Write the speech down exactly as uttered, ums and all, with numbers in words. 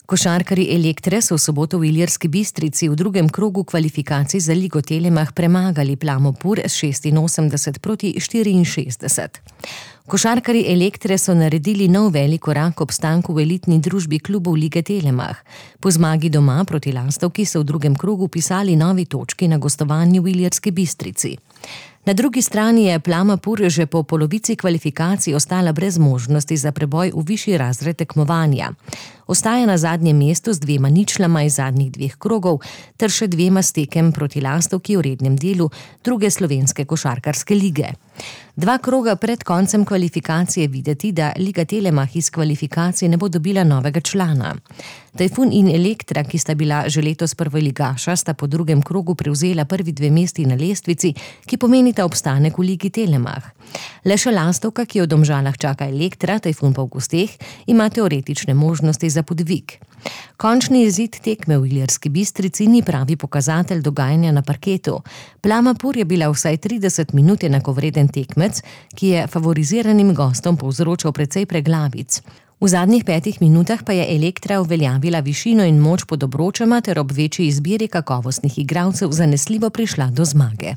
Košarkarji Elektre so v soboto v Ilirski Bistrici v drugem krogu kvalifikacij za Ligo Telemach premagali Plamopur s šestinosemdeset proti štiriinšestdeset. Košarkarji Elektre so naredili nov velik korak k obstanku v elitni družbi klubov Lige Telemach. Po zmagi doma proti Lastovki so v drugem krogu pisali novi točki na gostovanju v Ilirski Bistrici. Na drugi strani je Plamopur že po polovici kvalifikacij ostala brez možnosti za preboj v višji razred tekmovanja. Ostaja na zadnjem mestu z dvema ničlama iz zadnjih dveh krogov ter še dvema stekem proti Lastovki v rednem delu druge slovenske košarkarske lige. Dva kroga pred koncem kvalifikacije videti, da Liga Telemach iz kvalifikacij ne bo dobila novega člana. Tajfun in Elektra, ki sta bila že letos prvoligaša, sta po drugem krogu prevzela prvi dve mesti na lestvici, ki pomenita obstanek v Ligi Telemach. Le še Lastovka, ki v Domžalah čaka Elektra, Tajfun pa v gosteh, ima teoretične možnosti za podvig. Končni izid tekme v Ilirski Bistrici ni pravi pokazatelj dogajanja na parketu. Plamopur je bila vsaj trideset minut enakovreden tekmec, ki je favoriziranim gostom povzročal precej preglavic. V zadnjih petih minutah pa je Elektra uveljavila višino in moč pod obročema ter ob večji izbiri kakovostnih igralcev zanesljivo prišla do zmage.